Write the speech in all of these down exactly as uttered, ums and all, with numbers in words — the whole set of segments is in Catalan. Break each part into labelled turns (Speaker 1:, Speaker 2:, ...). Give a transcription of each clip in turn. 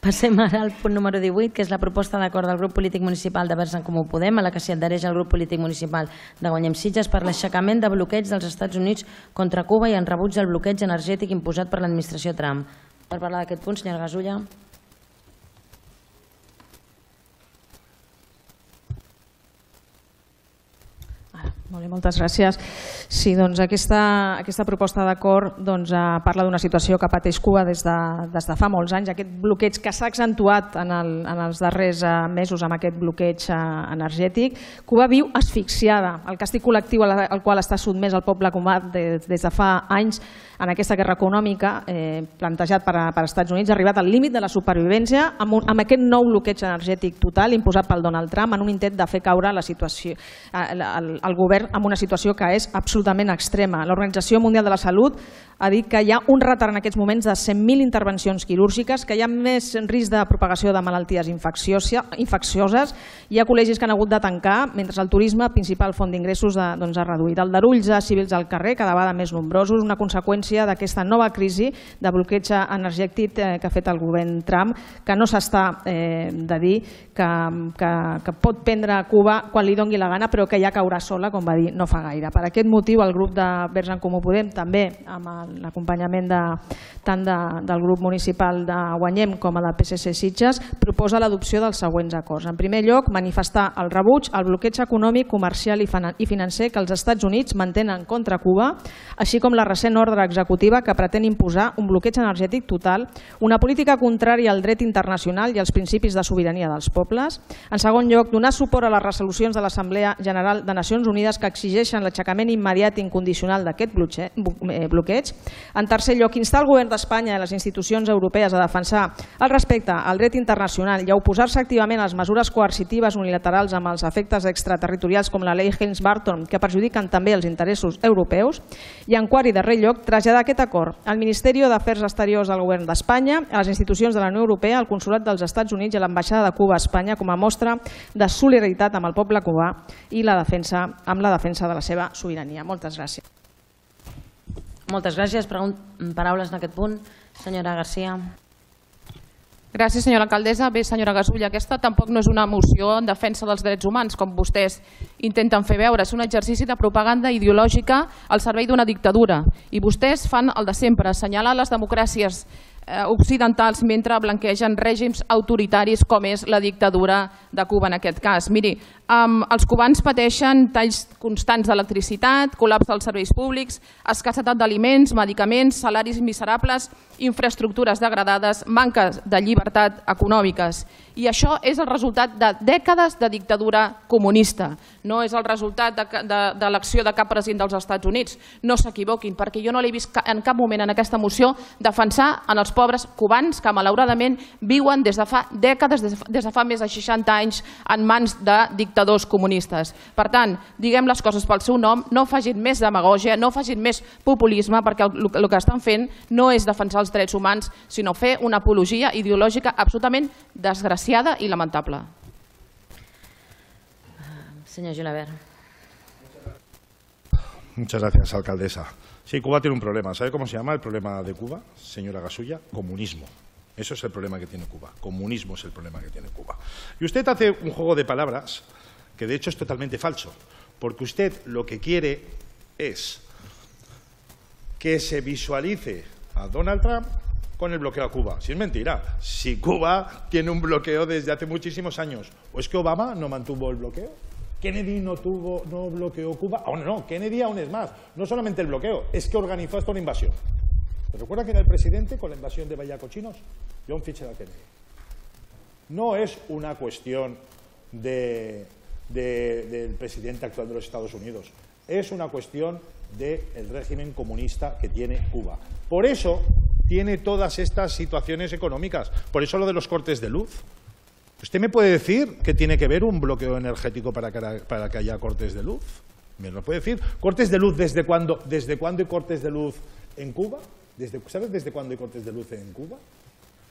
Speaker 1: Passem ara al punt número divuit, que és la proposta d'acord del grup polític municipal de Verds en Comú Podem, a la que s'hi adhereix el grup polític municipal de Guanyem Sitges per l'aixecament de bloqueig dels Estats Units contra Cuba i en rebuig del bloqueig energètic imposat per l'administració Trump. Per parlar d'aquest punt, senyora Gasulla.
Speaker 2: Molt bé, moltes gràcies. Sí, doncs aquesta, aquesta proposta d'acord doncs, eh, parla d'una situació que pateix Cuba des de, des de fa molts anys, aquest bloqueig que s'ha accentuat en, el, en els darrers eh, mesos amb aquest bloqueig eh, energètic. Cuba viu asfixiada. El càstig col·lectiu al, al qual està sotmès el poble cubà des, des de fa anys en aquesta guerra econòmica eh, plantejat per, per Estats Units ha arribat al límit de la supervivència amb, un, amb aquest nou bloqueig energètic total imposat pel Donald Trump en un intent de fer caure la situació, eh, el, el govern en una situació que és absolutament extrema. L'Organització Mundial de la Salut ha dit que hi ha un retard en aquests moments de cent mil intervencions quirúrgiques, que hi ha més risc de propagació de malalties infeccioses, hi ha col·legis que han hagut de tancar, mentre el turisme, principal font d'ingressos, doncs, ha reduït. El darulls de civils al carrer, cada vegada més nombrosos, una conseqüència d'aquesta nova crisi de bloqueig energètic que ha fet el govern Trump, que no s'està eh, de dir que, que, que pot prendre Cuba quan li doni la gana, però que ja caurà sola, com va dir no fa gaire. Per aquest motiu, el grup de Verds en Comú Podem, també amb l'acompanyament de, tant de, del grup municipal de Guanyem com a del P S C Sitges, proposa l'adopció dels següents acords. En primer lloc, manifestar el rebuig al bloqueig econòmic, comercial i financer que els Estats Units mantenen contra Cuba, així com la recent ordre executiva que pretén imposar un bloqueig energètic total, una política contrària al dret internacional i als principis de sobirania dels pobles. En segon lloc, donar suport a les resolucions de l'Assemblea General de Nacions Unides que exigeixen l'aixecament immediat i incondicional d'aquest bloqueig. En tercer lloc, instar el govern d'Espanya i les institucions europees a defensar el respecte al dret internacional i a oposar-se activament a les mesures coercitives unilaterals amb els efectes extraterritorials com la llei Helms-Burton, que perjudiquen també els interessos europeus. I en quart i darrer lloc, traslladar aquest acord al Ministeri d'Afers Exteriors del govern d'Espanya, a les institucions de la Unió Europea, al Consolat dels Estats Units i a l'Ambaixada de Cuba a Espanya com a mostra de solidaritat amb el poble cubà i la defensa, amb la defensa de la seva sobirania. Moltes gràcies.
Speaker 1: Moltes gràcies. Paraules en aquest punt. Senyora Garcia.
Speaker 3: Gràcies, senyora alcaldessa. Bé, senyora Gasulla, aquesta tampoc no és una moció en defensa dels drets humans, com vostès intenten fer veure. És un exercici de propaganda ideològica al servei d'una dictadura. I vostès fan el de sempre, assenyalar les democràcies occidentals mentre blanquegen règims autoritaris com és la dictadura de Cuba en aquest cas. Miri, els cubans pateixen talls constants d'electricitat, col·lapse dels serveis públics, escassetat d'aliments, medicaments, salaris miserables, infraestructures degradades, manca de llibertat econòmiques. I això és el resultat de dècades de dictadura comunista. No és el resultat de l'acció de cap president dels Estats Units. No s'equivoquin, perquè jo no l'he vist en cap moment en aquesta moció defensar en els pobres cubans que malauradament viuen des de fa dècades, des de fa més de seixanta anys en mans de dictadors comunistes. Per tant, diguem les coses pel seu nom, no facin més demagògia, no facin més populisme, perquè el que estan fent no és defensar els drets humans, sinó fer una apologia ideològica absolutament desgraciada y lamentable.
Speaker 1: Señor Julabert.
Speaker 4: Muchas gracias, alcaldesa. Sí, Cuba tiene un problema. ¿Sabe cómo se llama el problema de Cuba, señora Gasulla? Comunismo. Eso es el problema que tiene Cuba. Comunismo es el problema que tiene Cuba. Y usted hace un juego de palabras que de hecho es totalmente falso, porque usted lo que quiere es que se visualice a Donald Trump con el bloqueo a Cuba. Si es mentira, si Cuba tiene un bloqueo desde hace muchísimos años. ¿O es que Obama no mantuvo el bloqueo? ¿Kennedy no, tuvo, no bloqueó Cuba? Aún no, Kennedy aún es más. No solamente el bloqueo, es que organizó hasta una invasión. ¿Se recuerda quién era el presidente con la invasión de Bahía Cochinos? John Fitzgerald Kennedy. No es una cuestión de, de, del presidente actual de los Estados Unidos. Es una cuestión del régimen comunista que tiene Cuba. Por eso tiene todas estas situaciones económicas. Por eso lo de los cortes de luz. ¿Usted me puede decir que tiene que ver un bloqueo energético para que, para que haya cortes de luz? ¿Me lo puede decir? ¿Cortes de luz desde cuándo, desde cuándo hay cortes de luz en Cuba? Desde, ¿Sabes desde cuándo hay cortes de luz en Cuba?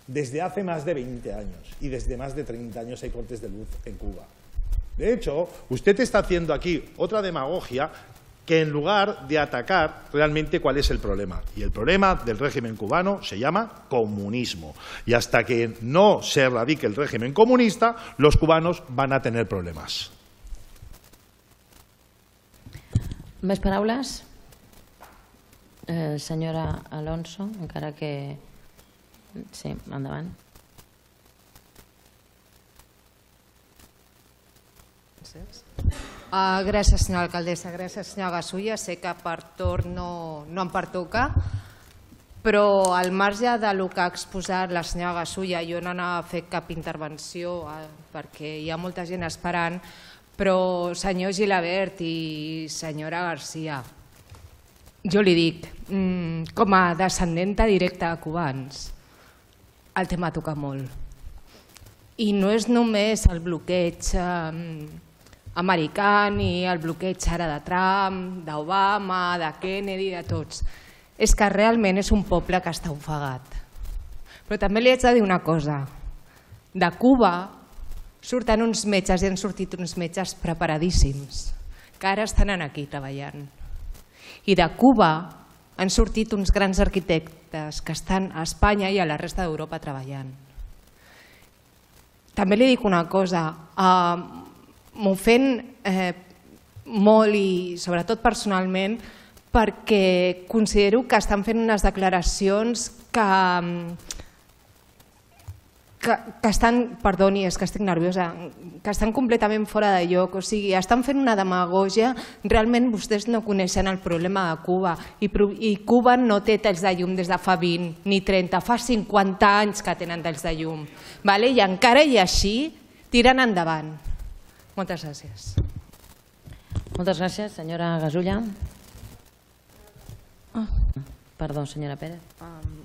Speaker 4: Desde hace más de veinte años. Y desde más de treinta años hay cortes de luz en Cuba. De hecho, usted está haciendo aquí otra demagogia que en lugar de atacar realmente cuál es el problema. Y el problema del régimen cubano se llama comunismo. Y hasta que no se erradique el régimen comunista, los cubanos van a tener problemas.
Speaker 1: Més paraules? Eh, senyora Alonso, encara que... Sí, endavant.
Speaker 5: Uh, gràcies, senyora alcaldessa. Gràcies, senyora Gasulla. Sé que per torn no, no em pertoca, però al marge del que ha exposat la senyora Gasulla, jo no anava a fer cap intervenció eh, perquè hi ha molta gent esperant, però senyor Gilabert i senyora Garcia, jo li dic, mm, com a descendenta directa de cubans, el tema toca molt. I no és només el bloqueig eh, americà ni el bloqueig ara de Trump, d'Obama, de Kennedy, de tots. És que realment és un poble que està ofegat. Però també li haig de dir una cosa. De Cuba surten uns metges i han sortit uns metges preparadíssims, que ara estan aquí treballant. I de Cuba han sortit uns grans arquitectes que estan a Espanya i a la resta d'Europa treballant. També li dic una cosa, eh, m'ofèn eh, molt i sobretot personalment perquè considero que estan fent unes declaracions que, que, que estan, perdoni, és que estic nerviosa, que estan completament fora de lloc, o sigui, estan fent una demagògia, realment vostès no coneixen el problema de Cuba i, i Cuba no té talls de llum des de fa vint ni trenta, fa cinquanta anys que tenen talls de llum, vale? I encara i així tiren endavant. Moltes gràcies.
Speaker 1: Moltes gràcies, senyora Gasulla. Ah. Perdó, senyora Pérez.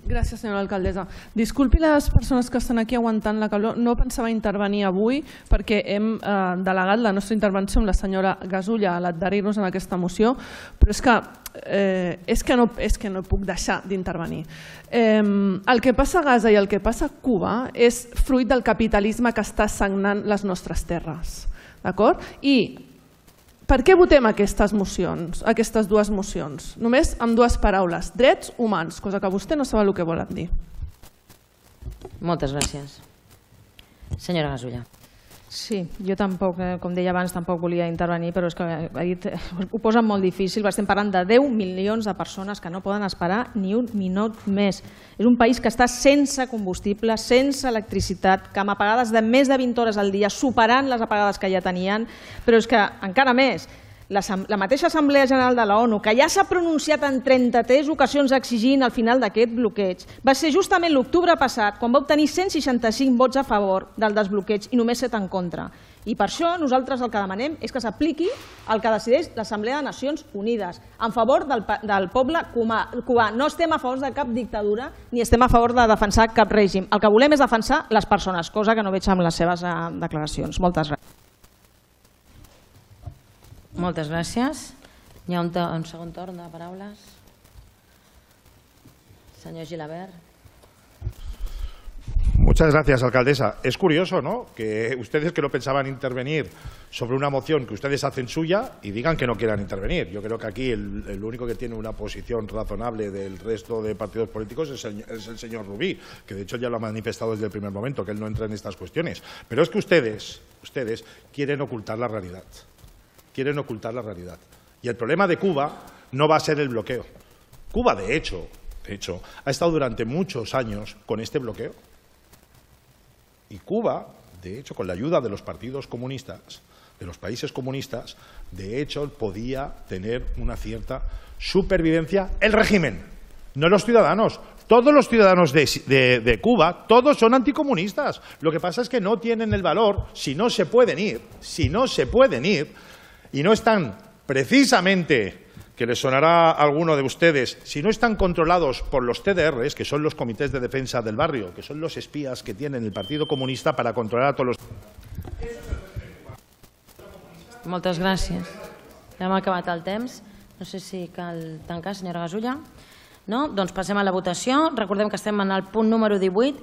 Speaker 6: Gràcies, senyora alcaldessa. Disculpi les persones que estan aquí aguantant la calor. No pensava intervenir avui perquè hem eh, delegat la nostra intervenció amb la senyora Gasulla a l'adherir-nos en aquesta moció, però és que, eh, és que, no, és que no puc deixar d'intervenir. Eh, el que passa a Gaza i el que passa a Cuba és fruit del capitalisme que està sagnant les nostres terres. D'acord? I per què votem aquestes mocions, aquestes dues mocions? Només amb dues paraules, drets humans, cosa que vostè no sap el que volen dir.
Speaker 1: Moltes gràcies. Senyora Gasulla.
Speaker 2: Sí, jo tampoc, com deia abans, tampoc volia intervenir, però és que ha dit, ho posen molt difícil. Estem parlant de deu milions de persones que no poden esperar ni un minut més. És un país que està sense combustible, sense electricitat, que amb apagades de més de vint hores al dia, superant les apagades que ja tenien, però és que encara més, la mateixa Assemblea General de la ONU, que ja s'ha pronunciat en trenta-tres ocasions exigint el final d'aquest bloqueig, va ser justament l'octubre passat quan va obtenir cent seixanta-cinc vots a favor del desbloqueig i només set en contra. I per això nosaltres el que demanem és que s'apliqui el que decideix l'Assemblea de Nacions Unides en favor del, del poble cubà. No estem a favor de cap dictadura ni estem a favor de defensar cap règim. El que volem és defensar les persones, cosa que no veig amb les seves declaracions. Moltes gràcies.
Speaker 1: Moltes gràcies. Hi ha un, un segon torn de paraules. Senyor Gilabert.
Speaker 4: Muchas gracias, alcaldesa. Es curioso, ¿no?, que ustedes que no pensaban intervenir sobre una moción que ustedes hacen suya y digan que no quieran intervenir. Yo creo que aquí el, el único que tiene una posición razonable del resto de partidos políticos es el, es el señor Rubí, que de hecho ya lo ha manifestado desde el primer momento, que él no entra en estas cuestiones. Pero es que ustedes, ustedes quieren ocultar la realidad. Quieren ocultar la realidad. Y el problema de Cuba no va a ser el bloqueo. Cuba, de hecho, de hecho, ha estado durante muchos años con este bloqueo. Y Cuba, de hecho, con la ayuda de los partidos comunistas, de los países comunistas, de hecho, podía tener una cierta supervivencia el régimen, no los ciudadanos. Todos los ciudadanos de, de, de Cuba, todos son anticomunistas. Lo que pasa es que no tienen el valor, si no se pueden ir, si no se pueden ir, y no están precisamente, que les sonará a alguno de ustedes, si no están controlados por los T D Rs, que son los comités de defensa del barrio, que son los espías que tiene el Partido Comunista para controlar a todos los...
Speaker 1: Moltes gràcies. Hem acabat el temps. No sé si cal tancar, senyora Gasulla. No? Doncs passem a la votació. Recordem que estem en el punt número divuit.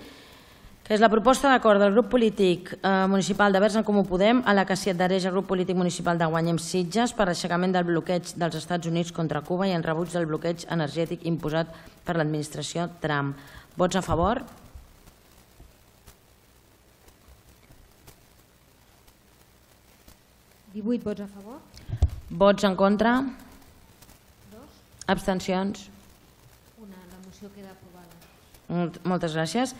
Speaker 1: que és la proposta d'acord del grup polític eh, municipal de Verds en Comú Podem a la que s'hi adhereix el grup polític municipal de Guanyem Sitges per l'aixecament del bloqueig dels Estats Units contra Cuba i en rebuig del bloqueig energètic imposat per l'administració Trump. Vots a favor?
Speaker 7: divuit vots a favor.
Speaker 1: Vots en contra? Abstencions?
Speaker 7: Una, la moció queda aprovada.
Speaker 1: Molt- Moltes gràcies.